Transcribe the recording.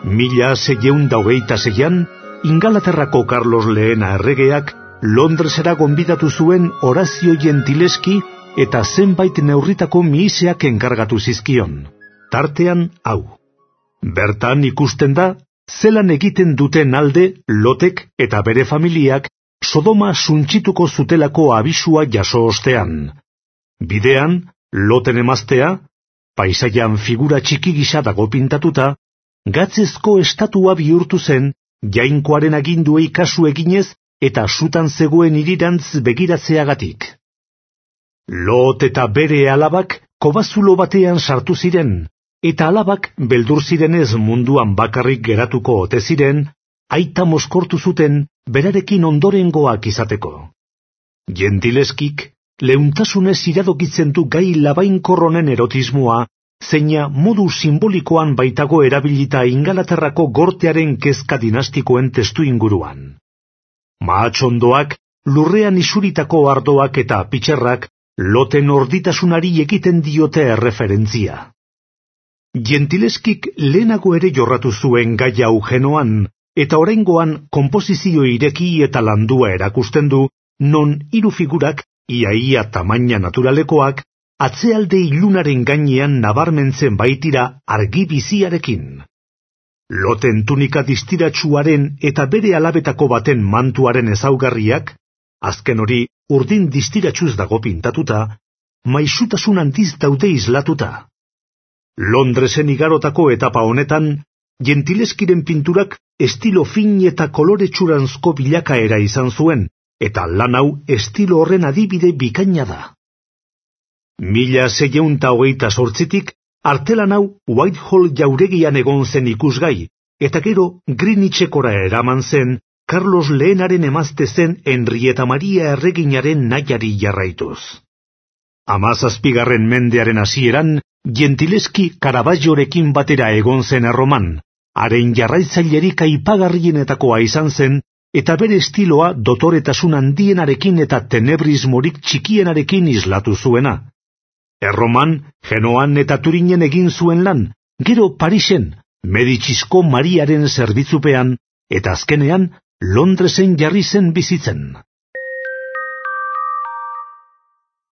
1626an, Ingalaterrako Carlos Lehena erregeak Londresera gonbidatu zuen Horazio Gentileschi eta zenbait neurritako mihiseak enkargatu zizkion. Tartean hau. Bertan ikusten da, zelan egiten duten alde Lotek eta bere familiak Sodoma suntsituko zutelako abisua jaso ostean. Bidean, Loten emaztea, paisaian figura txiki gisa dago pintatuta, gatzezko estatua bihurtu zen, jainkoaren aginduei kasu eginez eta sutan zegoen hirirantz begiratzeagatik. Lot eta bere alabak kobazulo batean sartu ziren, eta alabak beldur zirenez munduan bakarrik geratuko ote ziren, aita mozkortu zuten berarekin ondorengoak izateko. Gentileskik leuntasunez iradokitzen du gai labainkorronen erotismoa, zeina modu simbolikoan baitago erabilita Ingalaterrako gortearen kezka dinastikoen testu inguruan. Mahatxondoak, lurrean isuritako ardoak eta pitxerrak Loten orditasunari egiten diote erreferentzia. Gentileskik lehenago ere jorratu zuen gai hau Genoan, eta oraingoan konposizio ireki eta landua erakusten du, non hiru figurak, ia tamaina naturalekoak, atzealde ilunaren gainean nabarmentzen baitira argi biziarekin. Loten tunika distiratsuaren eta bere alabetako baten mantuaren ezaugarriak, azken hori urdin distiratsuz dago pintatuta, maisutasun handiz daude islatuta. Londresen igarotako etapa honetan, Gentileskiren pinturak estilo fin eta koloretsuranzko bilakaera izan zuen, eta lan hau estilo horren adibide bikaina da. 1628tik artelan hau Whitehall jauregian egon zen ikusgai, eta gero Greenwichekora eraman zen Carlos Lehenaren emazte zen Henrietta Maria erreginaren nahiari jarraituz. 17. mendearen hasieran, Gentileschi Caravaggiorekin batera egon zen Erroman, haren jarraitzailerik aipagarrienetakoa izan zen, eta bere estiloa dotoretasun handienarekin eta tenebrismorik txikienarekin islatu zuena. Erroman, Genoan eta Turinen egin zuen lan, gero Parisen, Medicisko Mariaren zerbitzupean, eta azkenean Londresen jarri zen bizitzen.